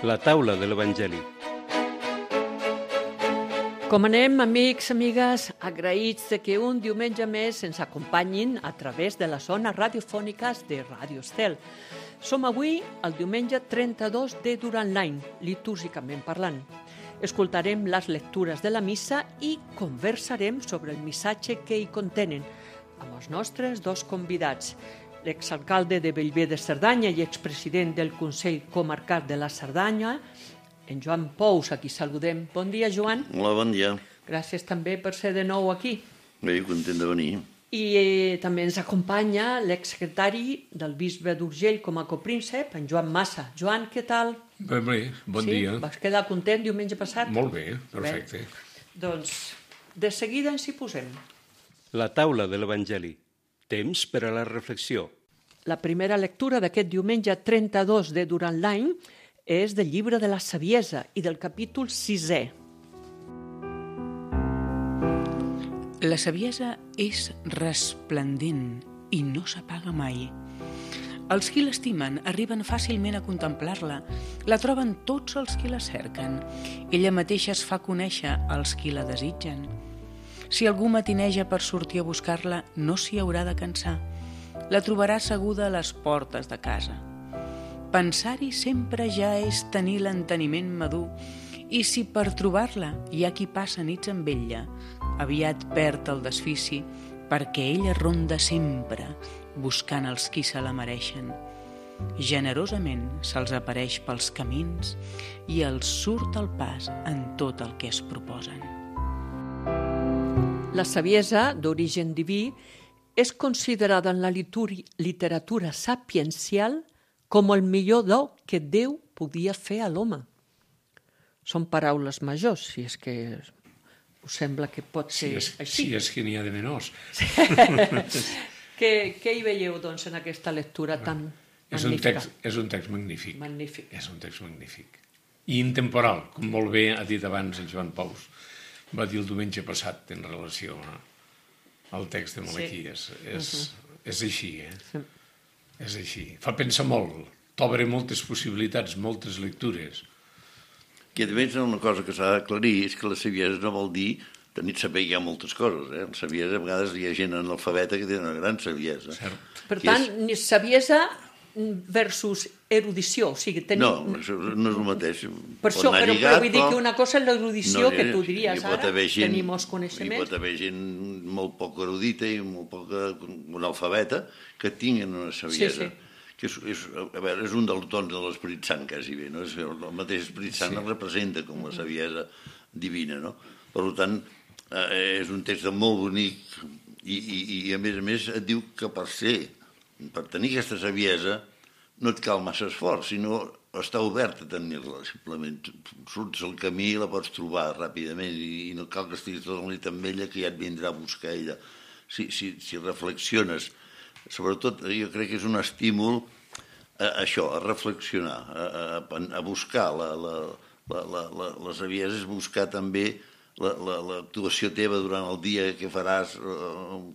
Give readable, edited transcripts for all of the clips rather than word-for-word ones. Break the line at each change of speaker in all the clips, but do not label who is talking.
La taula de l'Evangeli.
Com anem, amics, amigues, agraïts de que un diumenge més ens acompanyin a través de les zones radiofòniques de Ràdio Estel. Som avui el diumenge 32 de durant l'any, litúrgicament parlant. Escoltarem les lectures de la missa i conversarem sobre el missatge que hi contenen amb els nostres dos convidats, l'exalcalde de Bellver de Cerdanya i expresident del Consell Comarcal de la Cerdanya, en Joan Pous, a qui saludem. Bon dia, Joan.
Hola, bon dia.
Gràcies també per ser de nou aquí.
Bé, content de venir.
I també ens acompanya l'exsecretari del bisbe d'Urgell com a copríncep, en Joan Massa. Joan, què tal?
Bé, bon dia.
Vas quedar content diumenge passat?
Molt bé, perfecte.
Doncs de seguida ens hi posem.
La taula de l'Evangeli. Temps per a la reflexió.
La primera lectura d'aquest diumenge 32 de durant l'any és del llibre de la Saviesa i del capítol 6è.
La saviesa és resplendent i no s'apaga mai. Els qui l'estimen arriben fàcilment a contemplar-la. La troben tots els qui la cerquen. Ella mateixa es fa conèixer als qui la desitgen. Si algú matineja per sortir a buscar-la, no s'hi haurà de cansar. La trobarà asseguda a les portes de casa. Pensar-hi sempre ja és tenir l'enteniment madur, i si per trobar-la hi ha qui passa nits amb ella, aviat perd el desfici, perquè ella ronda sempre, buscant els qui se la mereixen. Generosament se'ls apareix pels camins i els surt al pas en tot el que es proposen.
La saviesa, d'origen diví, és considerada en la literatura sapiencial com el millor do que Déu podia fer a l'home. Són paraules majors, si és que us sembla que pot ser així.
Si és que n'hi ha de menors.
Què hi veieu, doncs, en aquesta lectura tan magnífica?
És un text magnífic.
Magnífic.
És un text magnífic. I intemporal, com molt bé ha dit abans el Joan Pous. Va dir el diumenge passat en relació al text de Malaquies.
Sí.
És així,
Sí.
És així. Fa pensar molt, t'obre moltes possibilitats, moltes lectures.
I a més, una cosa que s'ha d'aclarir és que la saviesa no vol dir saber que hi ha moltes coses. La saviesa, a vegades hi ha gent analfabeta que té una gran saviesa.
Cert.
Per tant, saviesa versus erudició. O sigui,
No, això no és el mateix.
Per això, però vull dir que una cosa és l'erudició, que tu diries ara, tenir molts coneixements.
Hi pot haver gent molt poc erudita i molt poc analfabeta que tinguen una saviesa.
Sí.
Que és un dels dons de l'Esperit Sant, quasi bé. No? El mateix Esperit Sant el representa com la saviesa divina. No? Per tant, és un text molt bonic i a més et diu que per tenir aquesta saviesa no et cal massa esforç, sinó estar obert a tenir-la. Simplement surts al camí i la pots trobar ràpidament i no cal que estiguis tot el nit amb ella, que ja et vindrà a buscar ella. Si reflexiones, sobretot jo crec que és un estímul a això, a reflexionar, a buscar la saviesa, és buscar també l'actuació teva durant el dia, què faràs,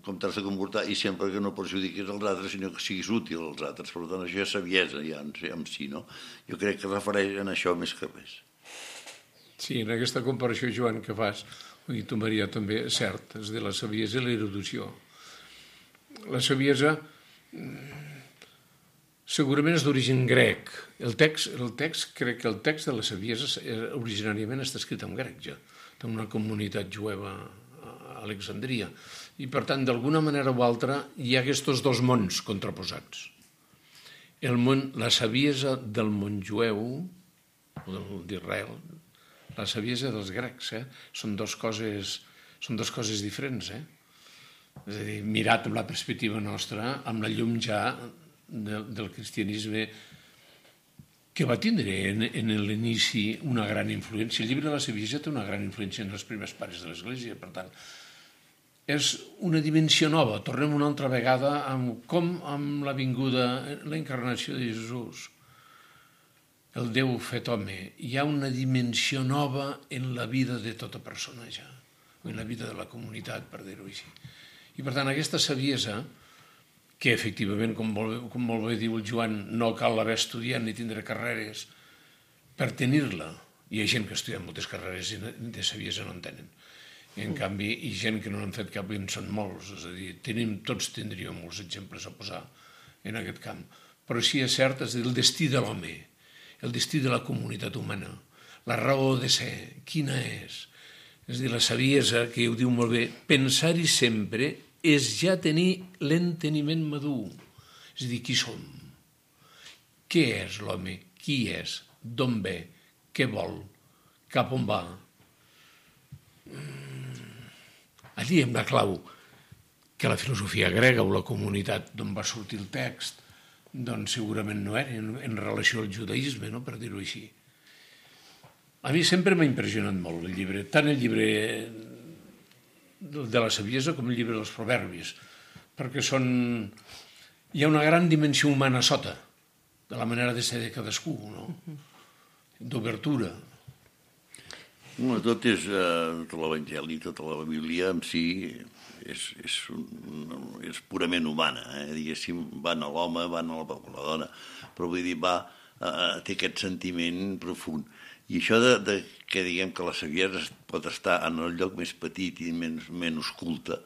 com t'has de comportar, i sempre que no perjudiquis els altres, sinó que siguis útil als altres. Per tant, això és saviesa ja en si, no? Jo crec que refereix en això més que res.
Sí, en aquesta comparació, Joan, que fas, i tu, Maria, també, és cert, és de la saviesa i l'erudició. La saviesa segurament és d'origen grec. El text, crec que el text de la saviesa originàriament està escrit en grec, ja. Té una comunitat jueva a Alexandria. I, per tant, d'alguna manera o altra, hi ha aquests dos mons contraposats. La saviesa del món jueu, o d'Israel, la saviesa dels grecs, són dues coses diferents, És a dir, mirat amb la perspectiva nostra, amb la llum ja del cristianisme, que va tindre en l'inici una gran influència. El llibre de la saviesa té una gran influència en els primers pares de l'Església, per tant, és una dimensió nova. Tornem una altra vegada amb la vinguda, la encarnació de Jesús, el Déu fet home. Hi ha una dimensió nova en la vida de tota persona ja, o en la vida de la comunitat, per dir-ho així. I per tant, aquesta saviesa, que efectivament, com molt bé diu el Joan, no cal haver estudiat ni tindre carreres per tenir-la. Hi ha gent que estudia moltes carreres i de saviesa no en tenen. I en canvi, hi ha gent que no n'han fet cap i en són molts. És a dir, tots tindríem molts exemples a posar en aquest camp. Però sí és cert, és el destí de l'home, el destí de la comunitat humana, la raó de ser, quina és? És a dir, la saviesa, que ho diu molt bé, pensar-hi sempre és ja tenir l'enteniment madur. És a dir, qui som? Què és l'home? Qui és? D'on ve? Què vol? Cap on va? Allí hem la clau que la filosofia grega o la comunitat d'on va sortir el text doncs segurament no era en relació al judaïsme, no? Per dir-ho així. A mi sempre m'ha impressionat molt el llibre, tant el llibre de la saviesa com el llibre dels proverbis, perquè hi ha una gran dimensió humana sota, de la manera de ser de cadascú, no? D'obertura.
Tot l'Evangeli, tota la Bíblia en si és purament humana, diguéssim, van a l'home, van a la dona, però vull dir, té aquest sentiment profund. I això que diguem que la saviesa pot estar en el lloc més petit i menys culte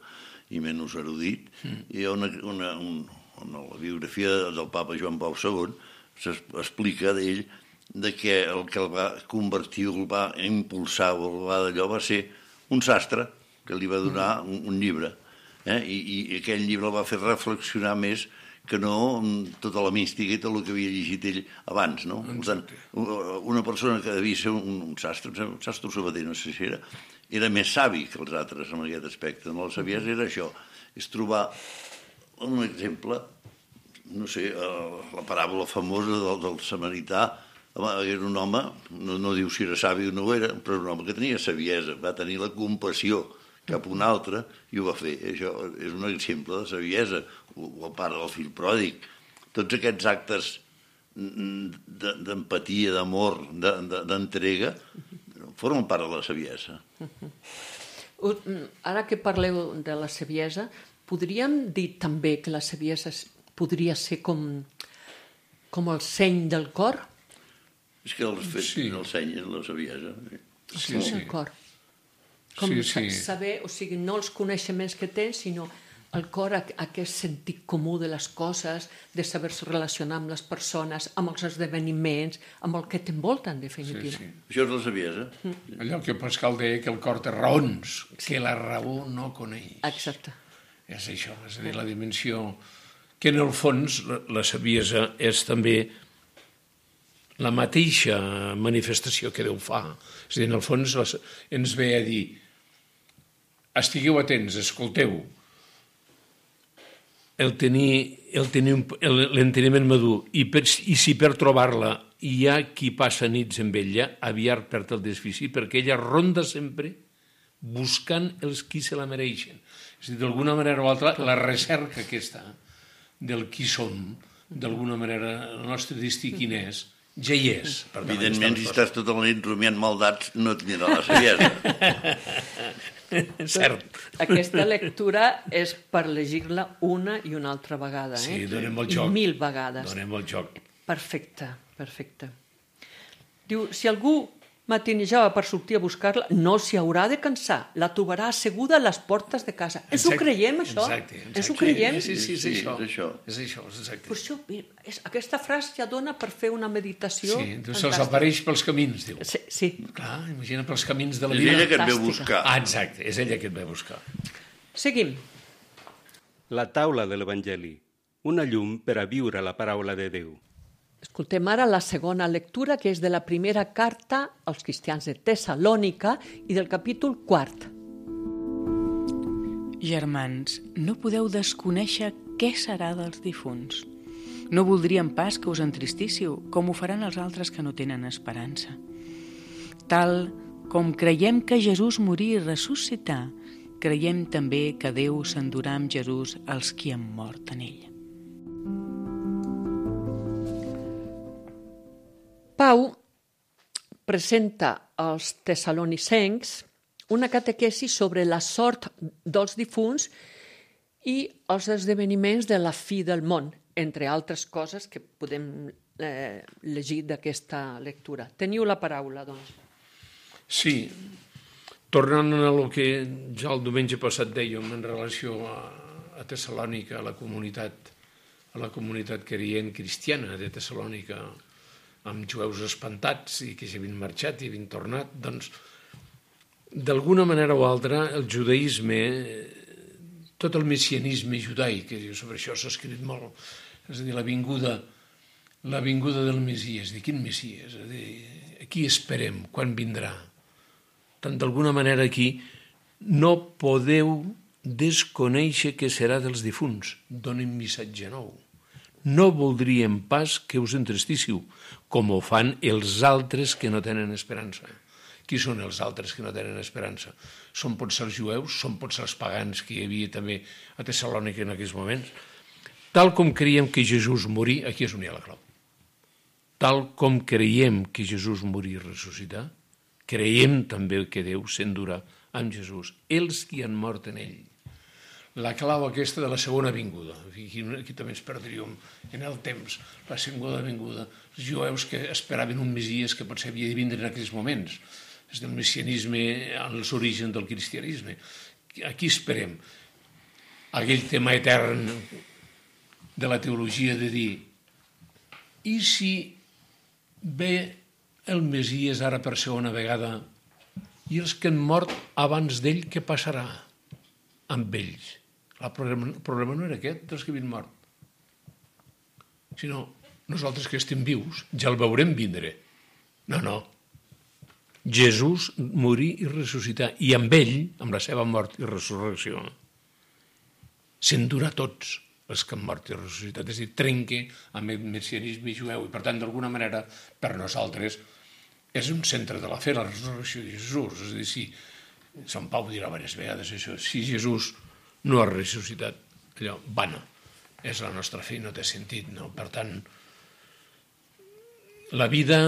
i menys erudit, hi ha en la biografia del papa Joan Pau II s'explica d'ell que el que el va convertir, el va impulsar o el va d'allò va ser un sastre que li va donar un llibre, i aquell llibre el va fer reflexionar més que no tota la mística i tot el que havia llegit ell abans, no? Per tant, una persona que devia ser un sastre sabater, no sé si era més savi que els altres en aquest aspecte. No? La saviesa era això, és trobar un exemple, no sé, la paràbola famosa del samarità. Era un home, no diu si era savi o no ho era, però un home que tenia saviesa, va tenir la compassió cap a un altre i ho va fer. Això és un exemple de saviesa, o el pare del fill pròdig. Tots aquests actes d'empatia, d'amor, d'entrega, formen part de la saviesa.
Ara que parleu de la saviesa, podríem dir també que la saviesa podria ser com el seny del cor?
És que el seny és la saviesa.
El seny del cor. Com saber, o sigui, no els coneixements que tens, sinó el cor, aquest sentit comú de les coses, de saber-se relacionar amb les persones, amb els esdeveniments, amb el que t'envolta, en definitiva.
Sí. Això és la saviesa.
Allò que Pascal deia que el cor té raons, que la raó no coneix.
Exacte.
És això, és a dir, la dimensió que en el fons la saviesa és també la mateixa manifestació que Déu fa. És a dir, en el fons ens ve a dir estigueu atents, escolteu, el tenir l'enteniment madur i si per trobar-la hi ha qui passa nits amb ella, aviat perd el desfici, perquè ella ronda sempre buscant els qui se la mereixen. És a dir, d'alguna manera o altra, la recerca aquesta del qui som, d'alguna manera, el nostre destí quin és, ja hi és.
Evidentment, si estàs tota la nit rumiant maldats, no tindrà la saviesa.
Cert.
Aquesta lectura és per llegir-la una i una altra vegada.
Sí, donem el joc.
I 1000 vegades.
Donem el joc.
Perfecte. Diu, si algú matinejava per sortir a buscar-la, no s'hi haurà de cansar. La trobarà asseguda a les portes de casa. Ens ho creiem, això?
Exacte.
Ens ho creiem?
Sí, és això.
És això.
Exacte.
Per això, aquesta frase ja dona per fer una meditació.
Sí, se'ls apareix pels camins, diu.
Sí.
Clar, imagina pels camins de la
vida. És ella que et ve buscar.
Exacte, és ella que et ve buscar.
Seguim.
La taula de l'Evangeli, una llum per a viure la paraula de Déu.
Escoltem ara la segona lectura, que és de la primera carta als cristians de Tessalònica i del capítol 4.
Germans, no podeu desconèixer què serà dels difunts. No voldríem pas que us entristíssiu, com ho faran els altres que no tenen esperança. Tal com creiem que Jesús morí i ressuscità, creiem també que Déu s'endurà amb Jesús els qui han mort en ell.
Pau presenta als tessalonicencs una catequesi sobre la sort dels difunts i els esdeveniments de la fi del món, entre altres coses que podem llegit d'aquesta lectura. Teniu la paraula, doncs.
Sí, tornant a el que ja el diumenge passat dèiem en relació a Tessalònica, a la comunitat creient cristiana de Tessalònica, amb jueus espantats i que s'havien marxat i havien tornat, doncs, d'alguna manera o altra, el judaïsme, tot el messianisme judaic, sobre això s'ha escrit molt, és a dir, la vinguda del Messies. Quin Messies? És a dir, a qui esperem? Quan vindrà? Tant d'alguna manera aquí no podeu desconèixer què serà dels difunts. Donen missatge nou. No voldríem pas que us entristíssiu, com ho fan els altres que no tenen esperança. Qui són els altres que no tenen esperança? Són potser els jueus, són potser els pagans que hi havia també a Tessalònica en aquells moments. Tal com creiem que Jesús morí, aquí és on hi ha la clau. Tal com creiem que Jesús morí i ressuscitar, creiem també que Déu s'endurà amb Jesús, els que han mort en ell. La clau aquesta de la segona vinguda, aquí també ens perdríem en el temps, la segona vinguda, els jueus que esperaven un Messies que potser havia de vindre en aquells moments, és del messianisme als orígens del cristianisme. Aquí esperem aquell tema etern de la teologia de dir, i si ve el Messies ara per segona vegada i els que han mort abans d'ell, què passarà amb ells? El problema no era aquest, dels que havien mort, sinó nosaltres que estem vius ja el veurem vindre. No. Jesús morí i ressuscitar, i amb ell, amb la seva mort i resurrecció, s'endurà tots els que han mort i ressuscitat, és a dir, trenque amb el messianisme jueu, i per tant, d'alguna manera, per nosaltres, és un centre de la fe, la resurrecció de Jesús. És a dir, si Sant Pau dirà diverses vegades això, si Jesús no ha ressuscitat, allò, vana, és la nostra fe, no té sentit, no? Per tant, la vida,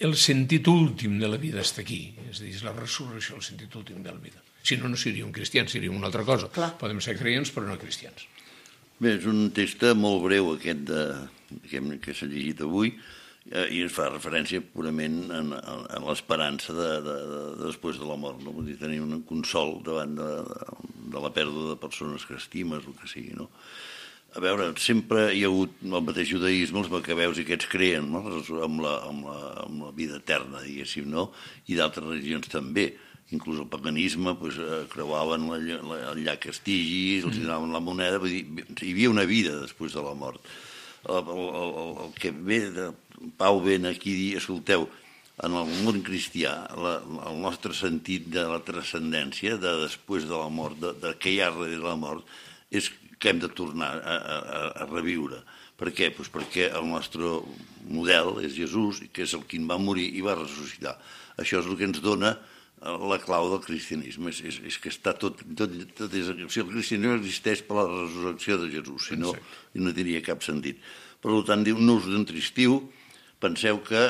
el sentit últim de la vida està aquí, és a dir, és la resurrecció, el sentit últim de la vida. Si no, no seríem cristians, seríem una altra cosa.
Clar.
Podem ser creients, però no cristians.
Bé, és un text molt breu aquest que s'ha llegit avui, i es fa referència purament a l'esperança després de la mort, no? Vull dir, tenir un consol davant de la pèrdua de persones que estimes, el que sigui, no? A veure, sempre hi ha hagut el mateix judaïsme, els macabeus i aquests creen, no? amb la vida eterna, diguéssim, no? I d'altres religions també. Inclús el paganisme, creuaven el llac Estigis, els donaven la moneda, vull dir, hi havia una vida després de la mort. El que ve de Pau ven aquí a dir, escolteu, en el món cristià, el nostre sentit de la transcendència, de després de la mort, de què hi ha darrere de la mort, és que hem de tornar a reviure. Per què? Doncs perquè el nostre model és Jesús, que és el qui va morir i va ressuscitar. Això és el que ens dona la clau del cristianisme, és que està tot és, si el cristianisme existeix per la resurrecció de Jesús, si no, no tindria cap sentit. Per tant, diu, no us entristiu, penseu que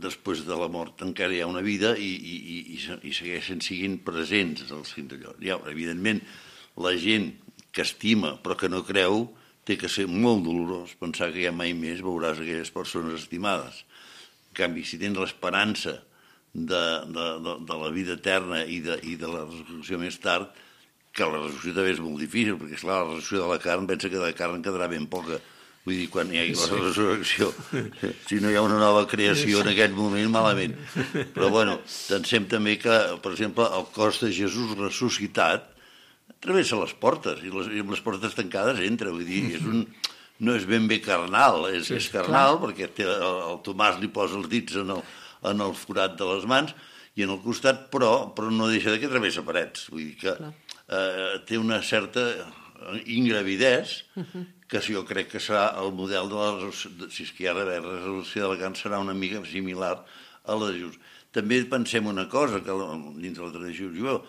després de la mort encara hi ha una vida i segueixen siguin presents els fins d'allò. Evidentment, la gent que estima però que no creu, té que ser molt dolorós pensar que ja mai més veuràs aquelles persones estimades. En canvi, si tens l'esperança de la vida eterna i de la resurrecció més tard, que la resurrecció també és molt difícil, perquè esclar, la resurrecció de la carn pensa que de carn quedarà ben poca. Vull dir, quan hi hagi la resurrecció, si no hi ha una nova creació en aquest moment, malament. Però, bueno, pensem també que, per exemple, el cos de Jesús ressuscitat travessa les portes, i amb les portes tancades entra, vull dir, no és ben bé carnal, és carnal, perquè el Tomàs li posa els dits en el forat de les mans i en el costat, però no deixa de que travessa parets, vull dir que té una certa ingravidesa, que jo crec que serà el model de la si és que hi ha d'haver resolució de la carn, serà una mica similar a la de Jesús. També pensem una cosa, que dins de la tradició jueva,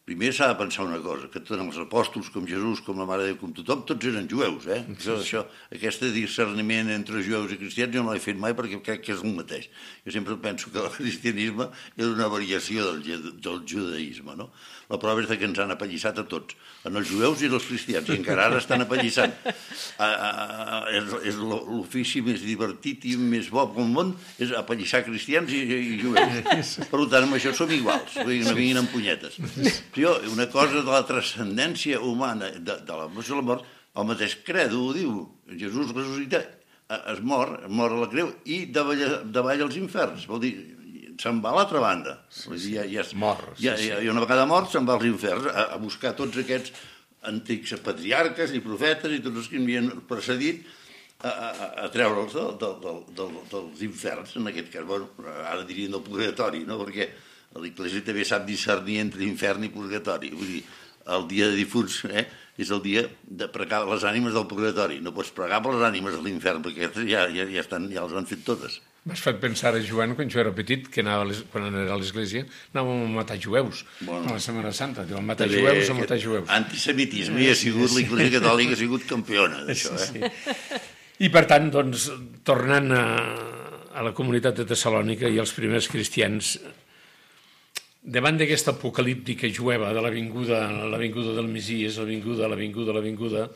primer s'ha de pensar una cosa, que tant els apòstols com Jesús, com la Mare de Déu, com tothom, tots eren jueus, eh? Aquest discerniment entre jueus i cristians jo no l'he fet mai perquè crec que és el mateix. Jo sempre penso que el cristianisme és una variació del judaïsme, no? La prova és que ens han apallissat a tots, en els jueus i els cristians, i encara ara estan apallissant. És l'ofici més divertit i més bo del món, és apallissar cristians i jueus. Per tant, amb això som iguals, no vinguin amb punyetes. Una cosa de la transcendència humana, de la mort, el mateix credo ho diu. Jesús ressuscita, es mor a la creu i davall als inferns. Vol dir, se'n va a l'altra banda. I una vegada mort se'n va als inferns a buscar tots aquests antics patriarques i profetes i tots els que havien precedit a treure'ls dels inferns, en aquest cas. Bueno, ara dirien del purgatori, no? Perquè l'Església també sap discernir entre infern i purgatori. Vull dir, el dia de difunts és el dia de pregar les ànimes del purgatori. No pots pregar per les ànimes de l'infern, perquè aquestes ja les han fet totes.
M'has fet pensar a Joan, quan jo era petit, que quan era a l'església, anàvem a matar jueus. A la Setmana Santa, diuen matar jueus o matar jueus.
Antisemitisme, i ha sigut l'Església Catòlica, ha sigut campiona d'això.
I per tant, doncs, tornant a la comunitat de Tessalònica i als primers cristians, davant d'aquesta apocalíptica jueva de l'avinguda del Messies, l'avinguda,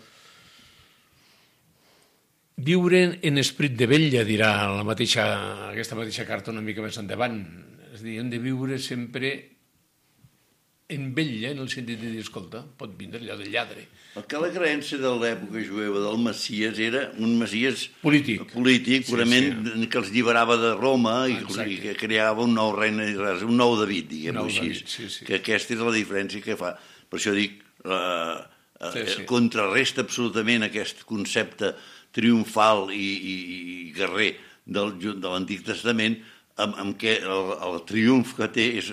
viure en esprit de vetlla, dirà aquesta mateixa carta una mica més endavant. És a dir, hem de viure sempre en vetlla, en el sentit de dir, escolta, pot vindre allò del lladre.
Que la creença de l'època jueva del Messies era un Messies
polític,
purament, que els lliberava de Roma i que creava un nou regne, un nou David, diguem-ho així. Que aquesta és la diferència que fa. Per això dic, contrarresta absolutament aquest concepte triomfal i guerrer de l'Antic Testament, amb què el triomf que té és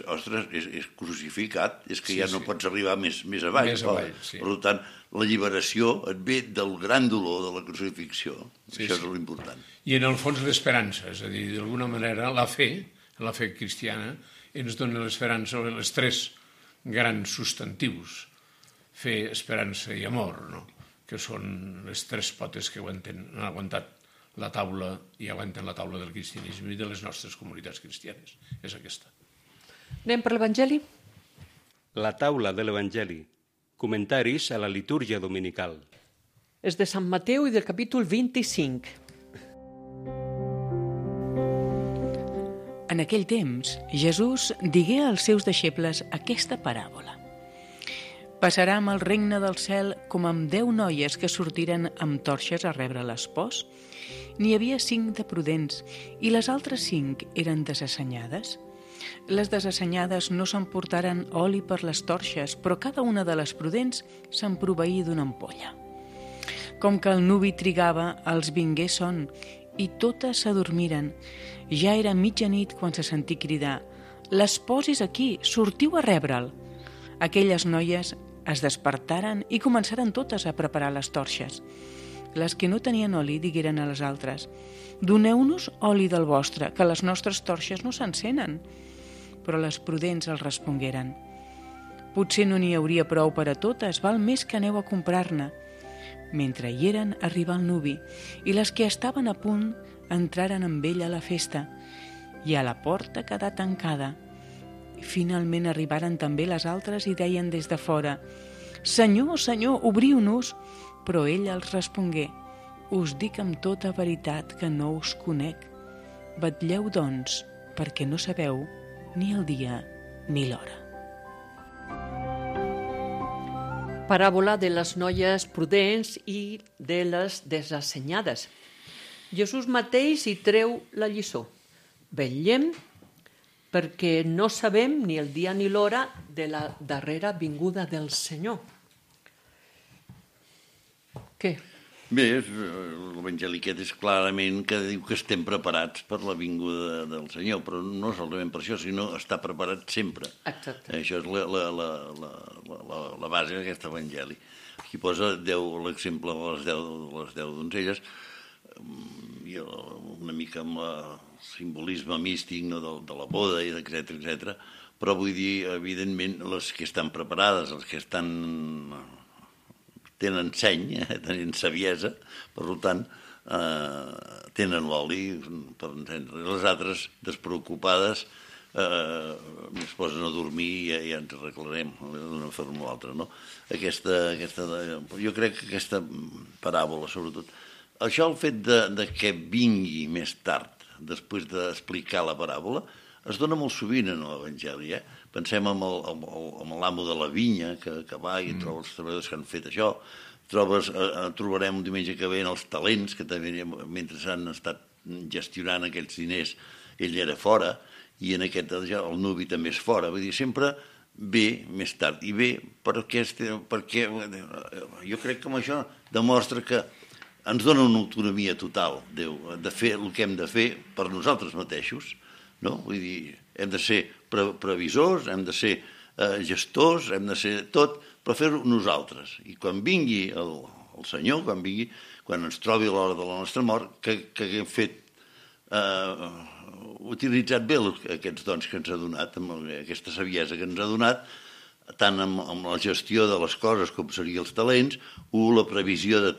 crucificat, és que ja no pots arribar més avall. Per tant, la lliberació et ve del gran dolor de la crucifixió. Això és l'important.
I en el fons l'esperança, és a dir, d'alguna manera la fe cristiana ens dona l'esperança, els tres grans substantius, fe, esperança i amor, no? Que són les tres potes que han aguantat la taula i aguanten la taula del cristianisme i de les nostres comunitats cristianes. És aquesta.
Anem per l'Evangeli?
La taula de l'Evangeli. Comentaris a la litúrgia dominical.
És de Sant Mateu i del capítol 25.
En aquell temps, Jesús digué als seus deixebles aquesta paràbola. Passarà amb el regne del cel com amb 10 noies que sortiren amb torxes a rebre l'espòs. N'hi havia 5 de prudents i les altres 5 eren desassenyades. Les desassenyades no s'emportaren oli per les torxes, però cada una de les prudents se'n proveí d'una ampolla. Com que el nuvi trigava, els vingué son i totes s'adormiren. Ja era mitjanit quan se sentí cridar: «L'espòs és aquí, sortiu a rebre'l». Aquelles noies es despertaren i començaren totes a preparar les torxes. Les que no tenien oli digueren a les altres: «Doneu-nos oli del vostre, que les nostres torxes no s'encenen». Però les prudents els respongueren: «Potser no n'hi hauria prou per a totes, val més que aneu a comprar-ne». Mentre hi eren, arribà el nuvi, i les que estaven a punt entraren amb ell a la festa, i a la porta quedà tancada. Finalment arribaren també les altres i deien des de fora: «Senyor, Senyor, obriu-nos!» Però ell els respongué: «Us dic amb tota veritat que no us conec. Vetlleu, doncs, perquè no sabeu ni el dia ni l'hora».
Paràbola de les noies prudents i de les desassenyades. Jesús mateix hi treu la lliçó. Vetllem perquè no sabem ni el dia ni l'hora de la darrera vinguda del Senyor. Què?
Bé, l'Evangeli aquest és clarament que diu que estem preparats per la vinguda del Senyor, però no solament per això, sinó estar preparat sempre.
Exacte.
Això és la base d'aquest Evangeli. Aquí posa l'exemple de les 10 donzelles. una mica amb el simbolisme místic, no, de la boda, etc. Però vull dir, evidentment, les que estan preparades, les que tenen seny, tenen saviesa, per tant, tenen l'oli per encendre. Les altres, despreocupades, es posen a dormir i ja ens arreglarem d'una forma o altra, no? Jo crec que aquesta paràbola, sobretot, això, el fet de que vingui més tard, després d'explicar la paràbola, es dona molt sovint en l'Evangeli. Pensem en l'amo de la vinya, que va i troba els treballadors que han fet això. Trobarem un diumenge que ve els talents, que també, mentre han estat gestionant aquests diners, ell era fora, i en aquest el nuvi també és fora. Vull dir, sempre ve més tard. I ve perquè jo crec que amb això demostra que ens dona una autonomia total, Déu, de fer el que hem de fer per nosaltres mateixos, no? Vull dir, hem de ser previsors, hem de ser gestors, hem de ser tot, però fer-ho nosaltres. I quan vingui el Senyor, quan ens trobi a l'hora de la nostra mort, que haguem fet, utilitzat bé aquests dons que ens ha donat, amb aquesta saviesa que ens ha donat, tant amb la gestió de les coses com serien els talents, la previsió de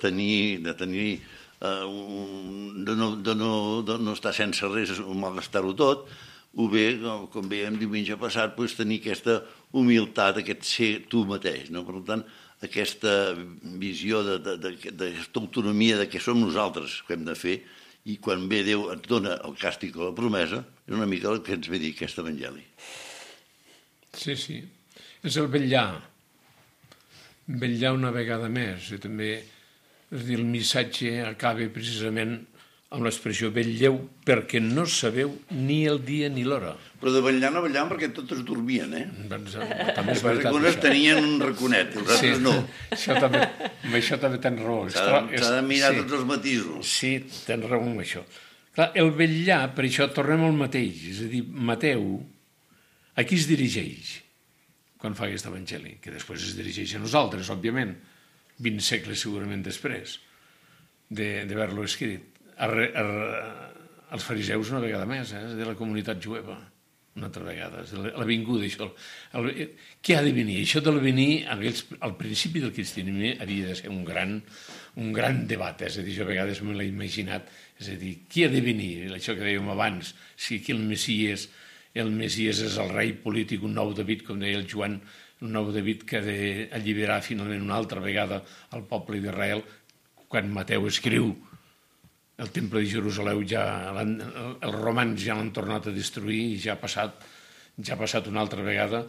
no estar sense res, malgastar-ho tot, o bé, com veiem diumenge passat, tenir aquesta humilitat, aquest ser tu mateix. Per tant, aquesta visió d'aquesta autonomia de que som nosaltres que hem de fer, i quan ve Déu ens dona el càstig o la promesa, és una mica el que ens ve dir aquest evangeli.
Sí. És el vetllar una vegada més, i també, és dir, el missatge acaba precisament amb l'expressió vetlleu perquè no sabeu ni el dia ni l'hora.
Però de vetllar no vetllaven perquè totes dormien,
També és veritat.
Algunes tenien un raconet, els altres no.
Amb això també tens raó.
S'ha de mirar tots els matisos.
Sí, tens raó amb això. Clar, el vetllar, per això tornem al mateix, és a dir, Mateu, a qui es dirigeix quan fa aquest evangeli? Que després es dirigeix a nosaltres, òbviament, 20 segles segurament després d'haver-lo escrit. Els fariseus una vegada més, de la comunitat jueva, una altra vegada, la vinguda, això. Què ha de venir? Això de venir, al principi del cristianisme, havia de ser un gran debat, és a dir, jo a vegades me l'he imaginat, és a dir, qui ha de venir? Això que dèiem abans, si aquí el Messies és el rei polític, un nou David, com deia el Joan, un nou David que ha d'alliberar finalment una altra vegada el poble d'Israel, quan Mateu escriu el temple de Jerusalem, els romans ja l'han tornat a destruir i ja ha passat una altra vegada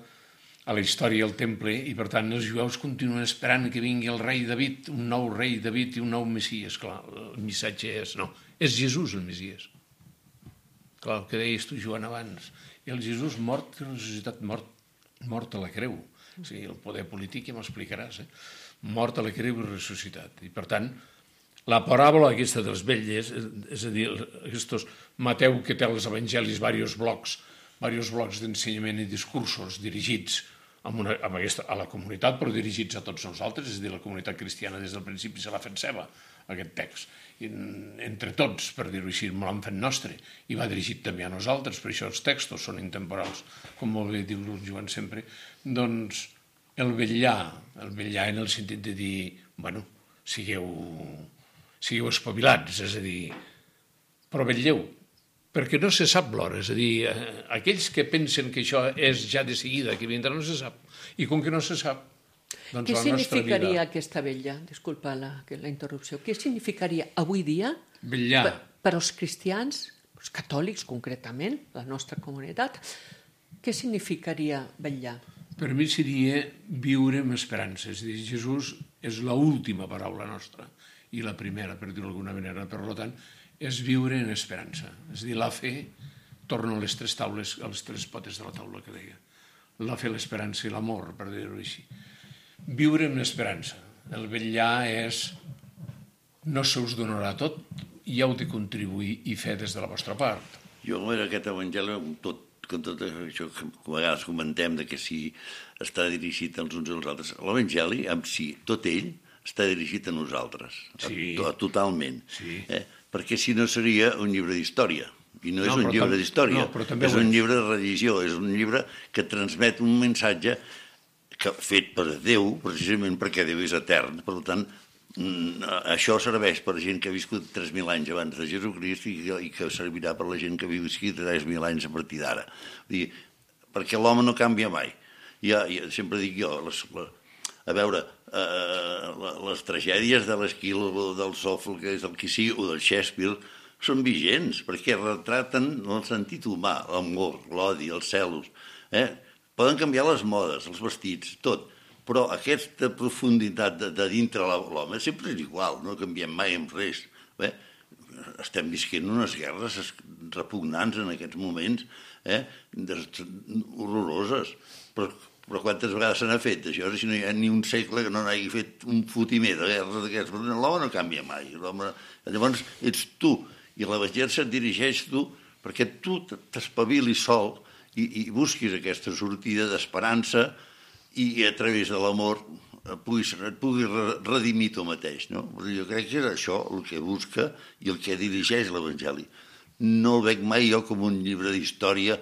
a la història del temple, i per tant els jueus continuen esperant que vingui el rei David, un nou rei David i un nou Messies. Clar, el missatge és Jesús el Messies. Clar, el que deies tu, Joan, abans. I el Jesús mort, ressuscitat, mort a la creu. O sigui, el poder polític ja m'explicaràs, mort a la creu i ressuscitat. I per tant, la paràbola aquesta dels vetlles, és a dir, Mateu, que té als evangelis diversos blocs d'ensenyament i discursos dirigits a la comunitat, però dirigits a tots nosaltres, és a dir, la comunitat cristiana des del principi se l'ha fet seva, aquest text. Entre tots, per dir-ho així, me l'han fet nostre, i va dirigit també a nosaltres, per això els textos són intemporals, com molt bé diu el Joan sempre. Doncs el vetllar en el sentit de dir, bueno, sigueu espavilats, és a dir, però vetlleu, perquè no se sap l'hora, és a dir, aquells que pensen que això és ja de seguida, que vindrà, no se sap, i com que no se sap, doncs
què
la nostra vida...
Què significaria aquesta vetlla? Disculpa la interrupció. Què significaria avui dia per als cristians, els catòlics concretament, la nostra comunitat, què significaria vetllar?
Per mi seria viure amb esperança, és a dir, Jesús és l'última paraula nostra, i la primera, per dir-ho d'alguna manera. Per tant, és viure en esperança. És a dir, la fe torna a les tres potes de la taula que deia. La fe, l'esperança i l'amor, per dir-ho així. Viure amb esperança. El vetllar és no se us donarà tot, i heu de contribuir i fer des de la vostra part.
Jo, en aquest evangeli, com tot això que a vegades comentem, que si està dirigit als uns i als altres, l'evangeli, amb si tot ell, està dirigit a nosaltres, totalment. perquè si no seria un llibre d'història. I no és un llibre d'història, és un llibre de religió, és un llibre que transmet un missatge fet per Déu, precisament perquè Déu és etern. Per tant, això serveix per gent que ha viscut 3.000 anys abans de Jesucrist i que servirà per la gent que visqui 3.000 anys a partir d'ara. Perquè l'home no canvia mai. Sempre dic jo, a veure, les tragèdies de l'Esquil o del Sòfocles, del qui sigui, o del Shakespeare, són vigents, perquè retraten el sentit humà, l'amor, l'odi, els celos. Poden canviar les modes, els vestits, tot, però aquesta profunditat de dintre l'home sempre és igual, no canviem mai en res. Estem visquent unes guerres repugnants en aquests moments, horroroses, però quantes vegades se n'ha fet això? Si no hi ha ni un segle que no n'hagi fet un fotimer de guerres d'aquests, l'home no canvia mai. Llavors ets tu, i l'Evangeli se't dirigeix tu perquè tu t'espavilis sol i busquis aquesta sortida d'esperança i a través de l'amor et puguis redimir tu mateix. Jo crec que és això el que busca i el que dirigeix l'Evangeli. No el veig mai jo com un llibre d'història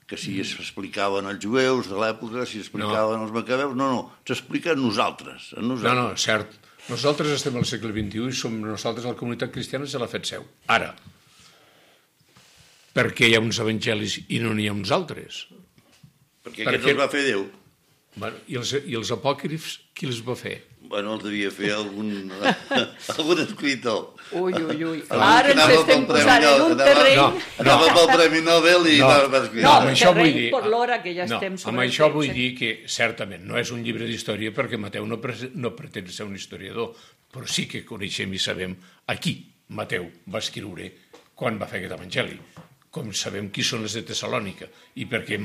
que si s'explicaven als jueus de l'època, si s'explicaven als macabeus, no, s'explica a nosaltres.
No, cert. Nosaltres estem al segle XXI i som nosaltres, la comunitat cristiana, se l'ha fet seu. Ara, per què hi ha uns evangelis i no n'hi ha uns altres?
Perquè aquests els va fer Déu.
I els apòcrifs, qui els va fer?
Bueno, els devia fer algun escritor.
Ui. Ara ens estem posant en un terreny...
Anava pel Premi Nobel i va escriure.
No, terreny per l'hora que ja estem sobre...
Amb això vull dir que, certament, no és un llibre d'història perquè Mateu no pretén ser un historiador, però sí que coneixem i sabem a qui Mateu va escriure quan va fer aquest evangeli. Com sabem qui són les de Tessalònica i per què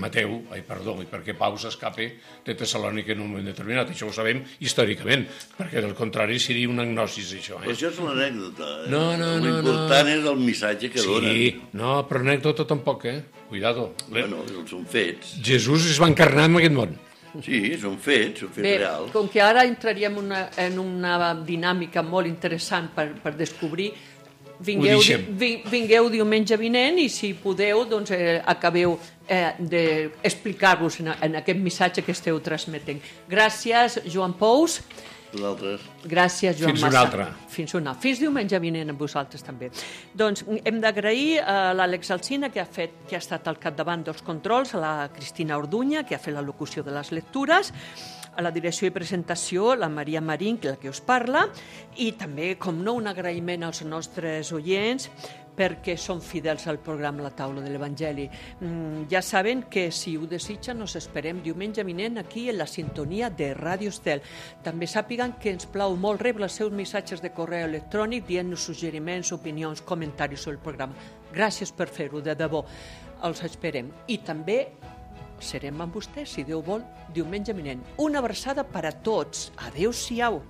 Pau s'escapa de Tessalònica en un moment determinat. Això ho sabem històricament, perquè del contrari seria un agnosis, això.
Però això és l'anècdota.
No.
L'important és el missatge que donen.
Sí, no, però anècdota tampoc, Cuidado.
Bueno, són fets.
Jesús es va encarnar en aquest món.
Sí, són fets reals.
Com que ara entraríem en una dinàmica molt interessant per descobrir. Vingueu diumenge vinent i si podeu doncs acabeu d'explicar-vos en aquest missatge que esteu transmetent. Gràcies, Joan Pous.
Vosaltres.
Gràcies, Joan Massa.
Fins una altra.
Fins diumenge vinent amb vosaltres també. Doncs hem d'agrair a l'Àlex Alsina que ha estat al capdavant dels controls, a la Cristina Orduña que ha fet la locució de les lectures, a la direcció i presentació, la Maria Marín, la que us parla, i també, com no, un agraïment als nostres oients perquè són fidels al programa La Taula de l'Evangeli. Ja saben que, si ho desitgen, nos esperem diumenge vinent aquí en la sintonia de Ràdio Estel. També sàpiguen que ens plau molt rebre els seus missatges de correu electrònic dient-nos suggeriments, opinions, comentaris sobre el programa. Gràcies per fer-ho, de debò. Els esperem. I també serem amb vostès, si Déu vol, diumenge vinent. Una abraçada per a tots. Adéu-siau.